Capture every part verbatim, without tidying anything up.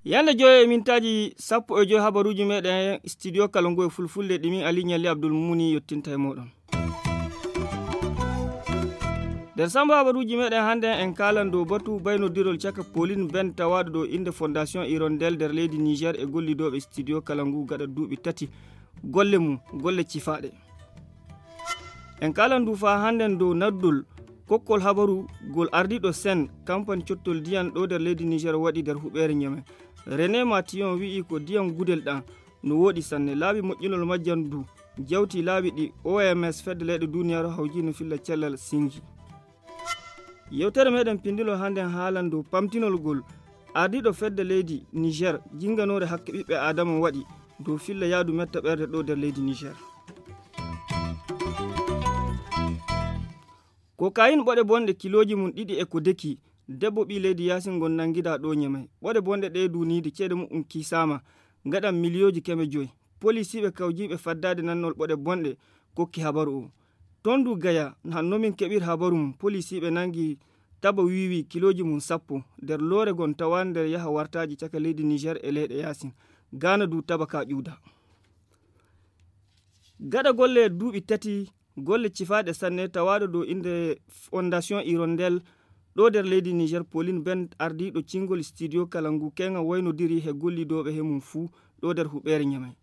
Yande joyo e mintaaji sappo e joyo, habaruuji meɗen studio kala ngu e fulfulde ɗi min Ali Ñalli Abdul Mumuni yottinta e moɗon. Nder samba habaruuji meɗen hannde, en kaalan dow batu baynodirol caka Pauline Ben tawaaɗo dow innde Fondation Hirondelle nder leydi Niger e gollidooɓe studio kala ngu gaɗa duuɓi tati golle mum, golle cifaaɗe. En kaalan du faa hannden dow naddol kokkol habaru ngol ardiiɗo Sen kampani cottol diyan ɗo nder leydi Niger waɗi nder huɓeere Ñeme. René Matillon wi'i ko diyan gudel ɗan no wooɗi sanne. Laabi moƴƴinol majjan du jawti laabi ɗi O M S fedde leyɗe duniyaaru hawji no filla cellal singi. Yewtere meɗen pindilol hannden haalan dow pamtinol ngol ardiiɗo fedde leydi Niger jinnganoore hakke ɓiɓɓe Aadama waɗi dow filla yaadu metta ɓerde ɗo nder leydi Niger. Kokayin ɓoɗe bonɗe kilooji mum ɗiɗi e ko deki, debbo ɓii leydi Yaasin ngon nanngidaa ɗo Ñemey. Ɓoɗe bonɗe ɗe duuniide ceede mu'um kiisaama, ngaɗan miliyooji keme joy. Polisiiɓe kawjiiɓe faddaade nannol ɓoɗe bonɗe kokki habaru o. Toon du Gaya, hanno min keɓir habaru mum, polisiiɓe nanngi taba wiiwi kilooji mum sappo nder loore gon tawaande nder yaha wartaaji caka leydi Niger e leyɗe Yaasin. Gaana du taba ka ƴuuda. Gaɗa golle duuɓi tati, golle cifaaɗe sanne tawaaɗo dow innde Fondation Hirondelle ɗo nder leydi Niger, Pauline Ben ardiiɗo cingol studio kala ngu keŋa waynodiri he gollidooɓe he mum fuu ɗo nder huɓeere Ñamey.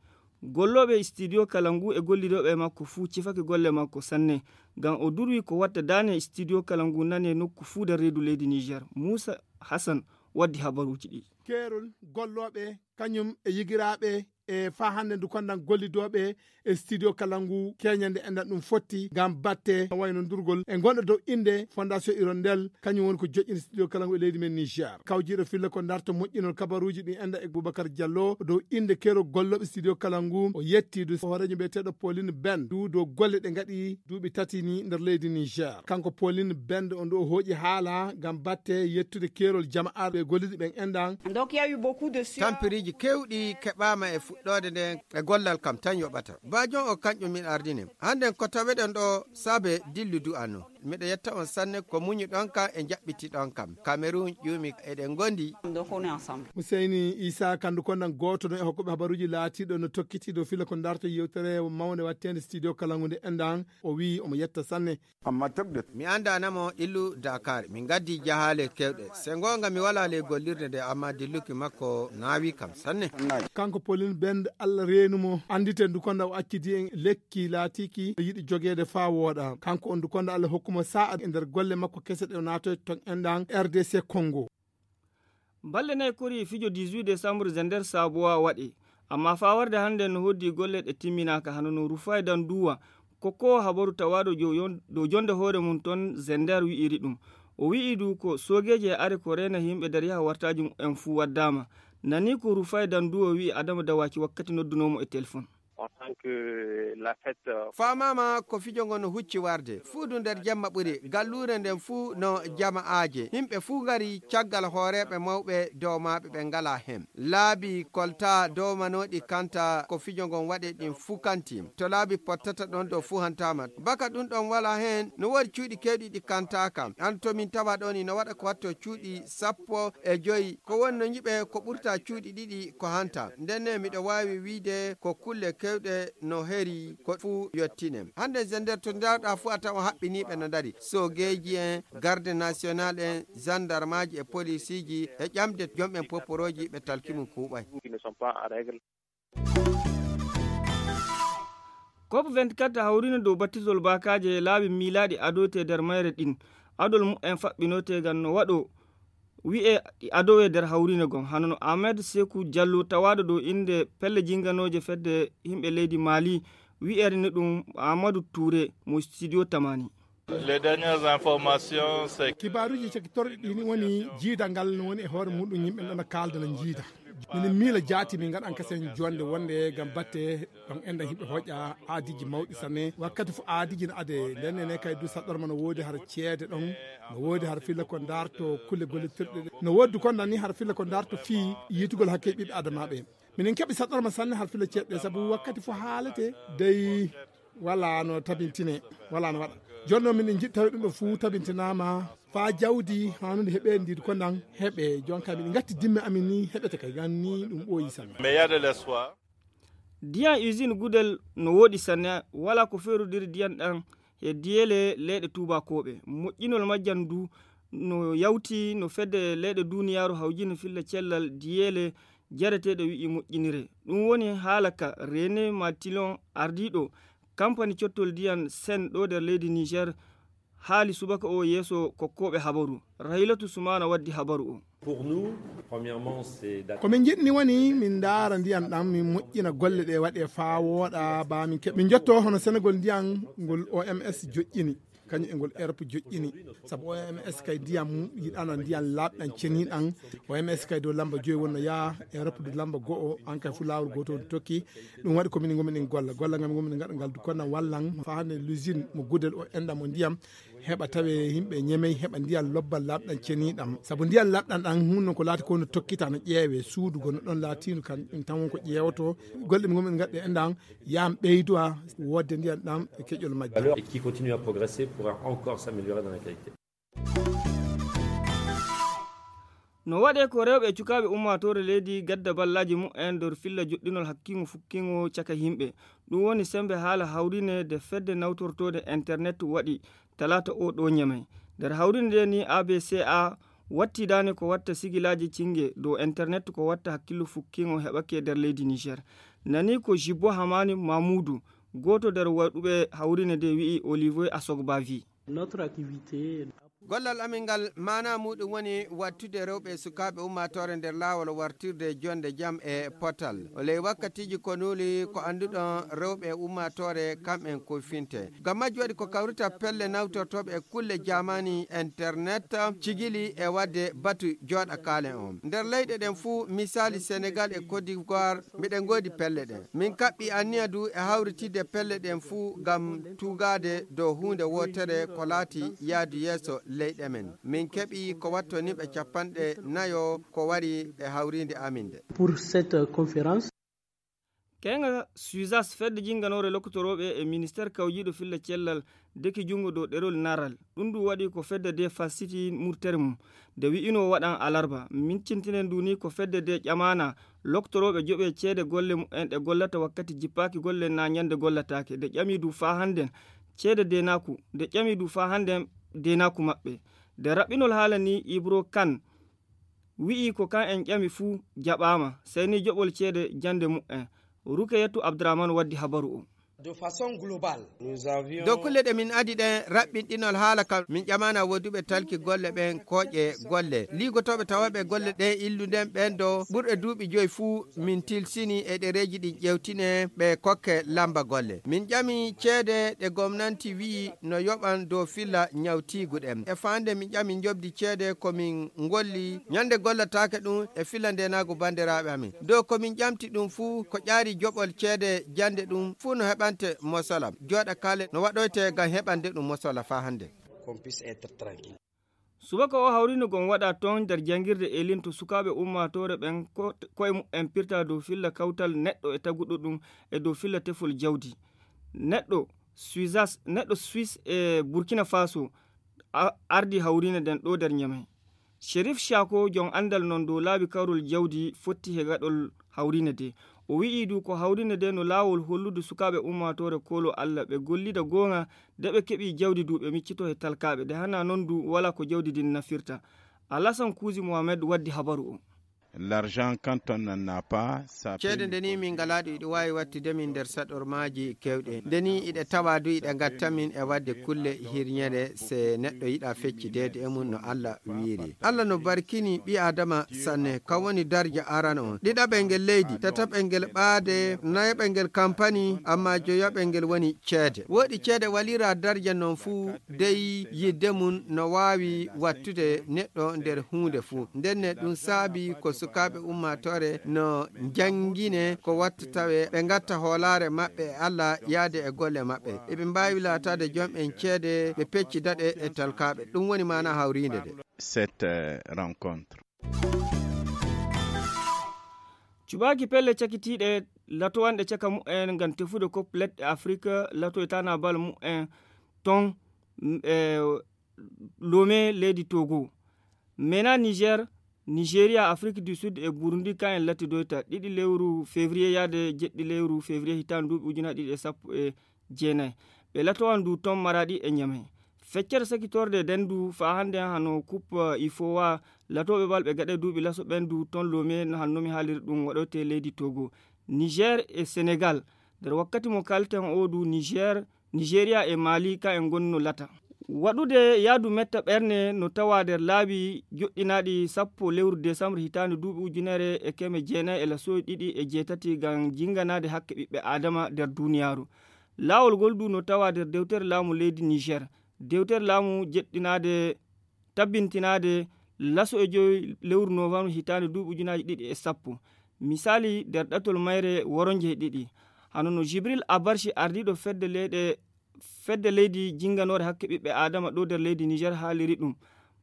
Gollooɓe studio kala ngu e gollidooɓe e makko fuu cifake golle makko sanne, ngam o durwi ko watta daane studio kala ngu nane nokku fuu nder reedu leydi Niger. Muusa Hassan waddi habaruuji ɗi. Keerol gollooɓe, kañum e yigiraaɓe e faa hannde ndu kondan gollidooɓe e studio kala ngu keñande enɗan ɗum fotti ngam batte waynondirgol e ngonɗo dow innde Fondation Hirondelle, kañum woni ko joƴƴini studio kala ngu e leydi men Niger. Kawjiiɗo filla ko darto moƴƴinol kabaruuji ɗi enɗa e Boubacar Diallo dow innde keerol gollooɓe studio kala ngu, o yetti du hooreejo mbiyeteeɗo Pauline Ben du dow golle ɗe ngaɗi duuɓi tati ni nder leydi Niger. Kanko Pauline Ben on du o hooƴi haala ngam batte yettude keerol jama'aaɓe golliiɓe ɓen enɗan. Donc, il y a eu beaucoup de sur- Tampiriiji keewɗi keɓaama e fuɗɗoode nden e gollal kam tan yoɓata. Baajon o kañƴum min ardini. Hannden ko taweɗen ɗo saabe dillu du'ano. Miɗo yetta on sanne ko muñuɗon kam e njaɓɓitiɗon kam. Cameroun ƴuumi eɗen ngondi. Donc, on est ensemble. Huseyni Isa Kandu Kondan gooto no e hokkuɓe habaruuji laatiiɗo no tokkiti dow filla ko darto yewtere mawnde watteende studio kala ngu nde enɗan. O wi'i omo yetta sanne. Amma tabdat. Mi anndaana mo illu Dakar. Min ngaddi jahaale keewɗe. Se ngoonga mi walaa ley gollirde nde, amma dilluki makko naawi kam sanne. Kanko Pauline Bend, Allah reenu mo. Annditen ndu konda o accidi en lekki laatiki no yiɗi jogeede faa wooɗa. Kanko on ndu konda Allah hokku mo sa'a e nder golle makko kese ɗe o naatoy ton enɗan R D C Congo. Balɗe nayi kori fijo dix-huit décembre Zender Sabuwa waɗe, amma faa warde hannde no hoddi golle ɗe timminaaka, hano no Rufai Danduwa, kokkoowo habaru tawaaɗo jo-, yon-, dow jonde hoore mum ton Zender wi'iri ɗum. O wi'i du ko soogeeji e are ko reena yimɓe nder yaha wartaaji mumen fuu waddaama. Nani ko Rufai Danduwa wi'i Adama Dawaki wakkati noddunoo mo e telefon. En tant que la fête, euh, Faamaama ko fijo ngo no hucci warde. Fuu du nder jemma ɓuri. Galluure nden fuu no jama'aaje. Yimɓe fuu ngari caggal hooreeɓe mawɓe dowmaaɓe ɓe ngalaa hen. Laabi koltaa dowmanooɗi kanta ko fijo ngon waɗe ɗin fuu kanti. To laabi pottata ɗon ɗo fuu hantaama. Baka ɗum ɗon walaa hen, no woodi cuuɗi keewɗi ɗi kantaaka. An to min tawa ɗon, ino waɗa ko watto cuuɗi sappo e joy. Ko woni no nyiɓe ko ɓurta cuuɗi ɗiɗi ko hanta. Ndenne miɗo waawi wiide ko kulle keewɗe no heri ko fuu yottine. Hannde Zender to ndaarɗaa fuu a tawa haɓɓiniiɓe no ndari. Soogeeji en, garde national en, zandarmaaji e polisiiji e ƴamde jom'en poporooji ɓe talki mum kuuɓay. Qui ne sont pas en règle. COP vingt-quatre hawrino dow battitol baakaaje e laabi miilaaɗi adoyte nder mayre ɗin. Adol mumen faɓɓinoyte ngam no waɗo wi'e ɗi adowe nder hawriine gon. Hano no Ahmed Sekou Diallo tawaaɗo dow innde pelle jinganooje fedde yimɓe leydi Mali wi'ere ni ɗum Amadou Touré mo studio Tamani. Les dernières informations, c'est que Kibaaruuji cakkitorɗi ɗi ni woni jiidal ngal no woni e hoore muɗum yimɓe ɗon no kaalda no jiida. Minen miila jaati min ngaɗan kasen jonde wonde ngam batte ɗon enɗan yimɓe hoƴa aadiji mawɗi sanne. Wakkati fof aadiji no ade nden ene kay du saɗɗorma no woodi har ceede ɗon, no woodi har filla ko darto kulle gollitirɗe ɗe. No woodi kon nani har filla ko darto fii yitugol hakke ɓiɓɓe adamaaɓe. Minen keɓi saɗɗorma sanne hal filo ceeɗɗe sabu wakkati fof haalete dey wala no tabintine wala no waɗa. Jooni noon minen njiɗi tawi ɗum ɗo fuu tabintinaama faa jawdi hanude heɓeendi ko nan heɓe. Jooni kay miɗi ngatti dimme amin ni heɓete kay gan ni ɗum ɓooyi sanne. Mais il y a de l'espoir. Diyan usine Gudel no woɗi sanne, wala ko feerudiri diyan ɗan e diyeele leyɗe tuubakooɓe. Moƴƴinol majjan ndu no yawti no fedde leyɗe duuniyaaru hawjini filla cellal diyeele jareteeɗe wi'i moƴƴinire. Ɗum woni haala ka René Matilon, ardiiɗo kampani cottol diyan Sen ɗo nder leydi Niger, haali subaka o yeeso kokkooɓe habaru. Raylatu Sumaana waddi habaru o. Ko min njiɗni woni min ndaara ndiyan ɗan min moƴƴina golle ɗe waɗe faa wooɗa baa min keɓa min njotto hono Senegol ndiyan ngol O M S joƴƴini kañum e ngol Erop joƴƴini. Sabu O M S kay ndiyan yiɗana ndiyan laaɓɗan ceniɗan. O M S kay dow lamba joyi wonno yaa Erop dow lamba go'o an kay fu laawol gootol tokki. Ɗum waɗi ko minen ngomin en golla golla ngam ngomin ngaɗa ngal dukkona wallan faa hannde l'usine mo Gudel o enɗa mo ndiyam heɓa tawe yimɓe ñemey heɓa ndiyan lobbal laaɓɗan ceniɗam sabu ndiyan laaɓɗan ɗan hunno ko laati ko no tokkita no ƴeewe suudu gono ɗon laatino kan ɗum tan won ko ƴeewoto. Golle ɗum ngomin ngaɗɗe enɗan yam ɓeyduwa wodde ndiyan ɗam e keƴol majjal. Et qui continue à progresser pour encore s'améliorer dans la qualité. No waɗee ko rewɓe e cukaaɓe ummaatoore leydi gadda ballaaji mumen nder filla joɗɗinol hakkiŋo fukkiŋo caka yimɓe. Ɗum woni semmbe haala hawriine nde fedde nawtortoode internet waɗi talaata o ɗo Ñamey. Nder hawriine nde ni A B C A wattidaani ko watta sigilaaji cinnge dow internet ko watta hakkillu fukkiŋo heɓake nder leydi Niger. Nani ko Jibbo Hamani Mamuudu, gooto nder waɗuɓe hawriine nde wi'i Olivier Asogbavi. Gollal amin ngal maana muuɗum woni wattude rewɓe e sukaaɓe ummaatoore nder laawol wartirde jonnde jam e potal. O ley wakkatiiji konuuli ko annduɗon rewɓe e ummaatoore kam'en kufinte. Ngam majji waɗi ko kawrita pelle nawtortooɓe e kulle jaamani internet cigili e waɗde batu jooɗa kaalen on. Nder leyɗe ɗen fuu misaali Senegal e Côte d'Ivoire miɗen ngoodi pelle ɗen. Min kaɓɓi anniya du e hawritidde pelle ɗen fuu ngam tuugaade dow huunde wootere ko laati yaadu yeeso leyɗe men. Min keɓi ko watto nimɓe capanɗe nayo ko wari e hawriinde amin nde. Pour cette conférence. Keynga Suisas fedde jinnganoore lokkotorooɓe e ministeer kawjiiɗo filla cellal deki junngo dow ɗerol naral. Ɗum du waɗi ko fedde de falsiti murtere mum nde wi'inoo waɗan alarba. Miccintinen du ni ko fedde de ƴamaana loktorooɓe joɓe ceede golle mumen ɗe gollata wakkati jippaaki golle na ñande gollataake. Nde ƴami du faa hannden ceede deenaaku nde ƴami du faa hannden deenaaku maɓɓe. Nde raɓɓinol haala ni Ibro Kan wi'i ko kan en ƴami fuu jaɓaama, sey ni joɓol ceede jannde mumen. Rukeyatu Abdurahman waddi habaru o. Dow kulle ɗe min adi ɗen raɓɓinɗinol haala kam min ƴamana woduɓe talki golle ɓen kooƴe golle liigotooɓe tawaɓe golle ɗen illunden ɓen do ɓurɓe duuɓi joyi fuu min tilsini e ɗereeji ɗin ƴewtine ɓe kokke lamba golle min ƴami ceede ɗe gomnanti wi'i no yoɓan dow filla ñawtiigu ɗen e faande min ƴami njoɓdi ceede ko min ngolli ñande gollataake ɗum e filla ndenaagu banndiraaɓe amin dow ko min ƴamti ɗum fuu ko ƴaari joɓol ceede jannde ɗum fuu no heɓante mosola jooɗa kaale no waɗoyte ngam heɓande ɗum mosola faa hannde. Subaka o hawrino gom waɗa toon nder janngirde Elin to sukaaɓe ummaatoore ɓen koye mumen pirta dow filla kawtal neɗɗo e taguɗo ɗum e dow filla tefol jawdi. Neɗɗo Suisas neɗɗo Suisse e Burkina Faso ardii hawriine nden ɗoo nder Ñamey. Sherif Shako jom anndal non dow laabi karol jawdi fotti he gaɗol hawriine de. O wi'i du ko hawriine de no laawol hollude sukaaɓe ummaatoore kooloo Alla ɓe gollida goonga de ɓe keɓii jawdi du ɓe miccitoo he talkaaɓe de hanaa non du walaa ko jawdi ndin nafirta. Alasan Kuuzi Mohamed waddi habaru o. L'argent quand on n'en a pas ça. Ceede nde ni min ngalaa ɗum iɗo waawi wattude min nder saɗormaaji keewɗe nde ni iɗe tawaa du iɗe ngatta min e waɗde kulle hirñere se neɗɗo yiɗa feccideede e mum no Alla wiiri. Alla no barkini ɓii Aadama sanne kam woni darja arano on ɗiɗaɓel ngel leydi tataɓel ngel ɓaade nayaɓel ngel kampani amma joyaɓel ngel woni ceede. Woɗi ceede walira darja non fuu dey yidde mum no waawi wattude neɗɗo nder huunde fuu ndenne ɗum saabi ko sukaaɓe ummaatoore no njanngine ko watta tawe ɓe ngatta hoolaare maɓɓe e Alla yaade e golle maɓɓe eɓe mbaawi laataade jom'en ceede ɓe pecci daɗe e talkaaɓe ɗum woni maana hawriinde de. Cette rencontre. Cuɓaaki pelle cakitiiɗe latowanɗe caka mu'en ngam tefude kop leɗɗe Afrik, latoytaana bal mu'en ton, m-, e, Lome leydi Togo. Mena Niger, Nigeria, Afrik du Sud e Burundi, kan en latidoyta ɗiɗi lewru février yaade jeɗɗi lewru février hitaande duuɓi ujunaaji ɗiɗi e sappo e jeenayi. Ɓe latowan du ton Maraɗi e Ñamey. Feccere sakitorde nden du faa hannde hano kup, eh, ifowa latooɓe bal ɓe gaɗe duuɓi laso ɓen du ton Lome no hanno mi haaliri ɗum waɗoyte leydi Togo. Niger e Senegal. Nder wakkati mo kalten o du Niger, Nigeria e Mali ka en gonno lata. Waɗude yaadu metta ɓerne no tawa nder laabi joɗɗinaaɗi sappo lewru desambre hitaande duuɓi ujunere e keme jeenayi e lasoy ɗiɗi e jeetati ngam jinganaade hakke ɓiɓɓe Aadama nder duuniyaaru. Laawol ngol du no tawa nder dewtere laamu leydi Niger. Dewtere laamu jeɗɗinaade, tabbintinaade laso e joyi lewru novembre hitaande duuɓi ujunaaji ɗiɗi e sappo. Misali, nder ɗatol mayre woronje e ɗiɗi. Hano no Jibril Abarshi, ardiiɗo fedde leyɗe, fedde leydi jinganoore hakke ɓiɓɓe Aadama ɗo nder leydi Niger haaliri ɗum.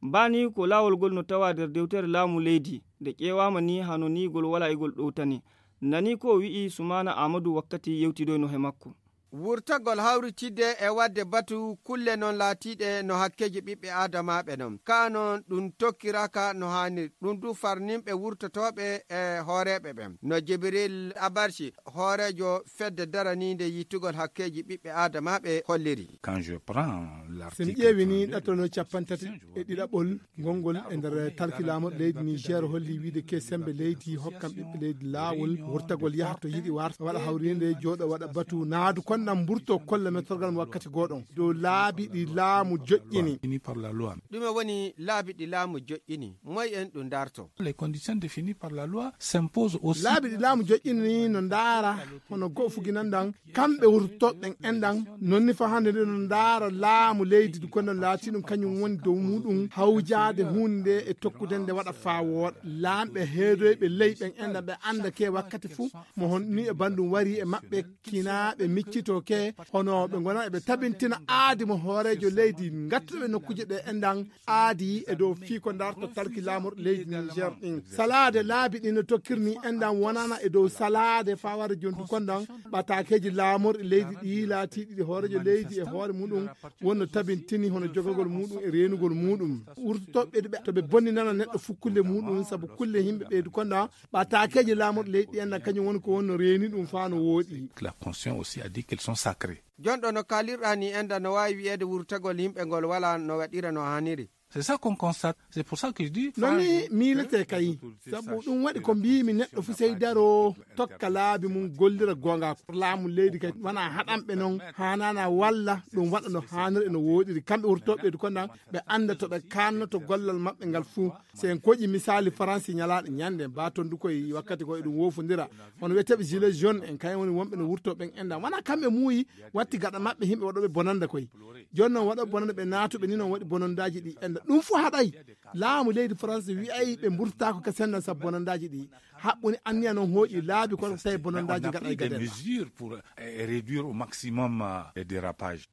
Mbani ko laawol ngol no tawa nder dewtere laamu leydi. Nde ƴeewaama ni hano ni ngol wala e ngol ɗowtani. Nani ko o wi'i Sumaana Aamadu wakkati yewtidoyno he makko. Wurtagol hawritidde e waɗde batu kulle non laatiiɗe no hakkeeji ɓiɓɓe aadamaaɓe non. Kaa non ɗum tokkiraaka no haaniri. Ɗum du farninɓe wurtotooɓe e hooreeɓe ɓen. No Jibril Abarshi, hooreejo fedde daraniinde yittugol hakkeeji ɓiɓɓe aadamaaɓe holliri. Quand je prends So mi l'article ƴeewi ni trente-deux, ɗatal no cappanɗe tati e ɗiɗaɓol, Ngol ngol e nder tarki laamorɗo leydi Niger holli wiide ke sembe leydi hokkan ɓiɓɓe leydi laawol wurtagol yaha to yiɗi warta, waɗa hawrinde, jooɗo, waɗa batu, naadu konnan mburto kolla mettorgal mo wakkati gooɗon dow laabi ɗi laamu joƴƴini. Fini par la loi. Ɗume woni laabi ɗi laamu joƴƴini? Moy en ɗum darto? Les conditions définies par la loi s'imposent aussi. Laabi ɗi laamu joƴƴini no ndaara hono go'o fuginan ɗan kamɓe wurtotooɓe ɓen enɗan, non ni faa hannde nde no ndaara laamu leydi ndu, kono laati ɗum kañum woni dow muɗum hawjaade huunde nde e tokkude nde waɗa faa wooɗa. Laamɓe heedoyɓe ley ɓen enɗan ɓe annda ke wakkati fuu mo hon ni e banndum wari e maɓɓe kinaa ɓe miccitoo ke, hono ɓe ngona eɓe tabintina aadi mo hooreejo leydi ngattuɓe nokkuuje ɗe enɗan aadi e dow fii ko ndarta talki laamorɗi leydi Niger ɗin. Salaade laabi ɗin no tokkirni enɗan wonana e dow salaade faa wara jontu konɗan ɓataakeeji laamorɗi leydi ɗi laatiiɗi ɗi hooreejo leydi e hoore muɗum wonno tabintini hono jogagol muɗum e reenugol muɗum. Wurtotooɓe ɓe to ɓe bonninana neɗɗo fukkulle muɗum sabu kulle yimɓe ɓeydu konɗan ɓataakeeji laamorɗi leydi ɗi enɗan kañum woni ko wonno reeni ɗum faa no wooɗi. La constitution aussi a dit qu'ils sont sacrés. Jonɗo no kaalirɗaa ni enɗan no waawi wi'eede wurtagol yimɓe ngol walaa no waɗira no haaniri. C'est ça qu'on constate. C'est pour ça que je dis, non ni miiletee kay sabu ɗum waɗi ko mbiimi neɗɗo fuu sey daroo tokka laabi mum gollira goonga laamu leydi kay wona haɗanɓe noon haanaana walla ɗum waɗa no haaniri e no wooɗiri kamɓe wurtooɓe ɓeydu konɗan ɓe annda to ɓe kaannoto gollal maɓɓe ngal fuu. Si en koƴi misaali Faransi ñalaaɗe ñande baa tonndu koye wakkati ko eɗum woofondira hono wiyeteeɓe gilet jaune en kañum woni wonɓe no wurtoo ɓen enɗan wona kamɓe muuyi watti gaɗa maɓɓe yimɓe waɗooɓe bonannda koye. Jooni noon waɗooɓe bonannda ɓe naatuɓe ni noon waɗi bonanndaaji ɗi enɗan ɗum fof haɗay laamu leydi Faransi wi'ay ɓe mburtaako ka senndal sabu bonanndaaji ɗi haɓɓuni anniya noon hooƴi laabi kono tawi bonanndaaji gaɗay gadel. Mesures pour, euh, réduire au maximum, euh, les dérapages.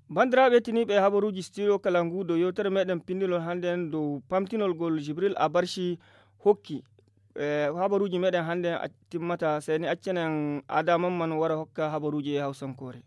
Banndiraaɓe tiniiɓe habaruuji studio kala ngu do yewtere meɗen pinndinol hannde en dow pamtinol ngol Jibril Abarshi hokki. E habaruuji meɗen hannde en timmata seni accenen Adama man wara hokka habaruuji e hawsankoore.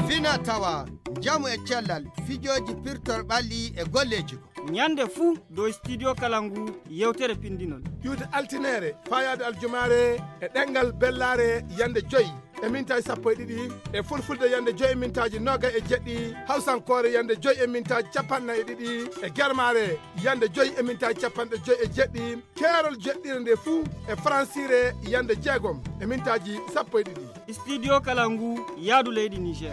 Fina tawa, njamu e cellal, fijooji pirtor ɓalli e golleeji. Ñande fuu dow studio kala ngu yewtere pinndinol. Ƴuwde altineere, faayaade aljumaare e ɗemngal bellaare yande joyi e mintaaji sappo e ɗiɗi, e fulfulde yande joyi e mintaaji noogay e jeɗɗi, hawsankoore yande joyi e mintaaji capanɗe nayi e ɗiɗi, e germaare yande joyi e mintaaji capanɗe joyi e jeɗɗi, keerol jeɗɗire nde fuu e faransiire yande jeegom e mintaaji sappo e ɗiɗi. Studio kala ngu yaadu leydi Niger.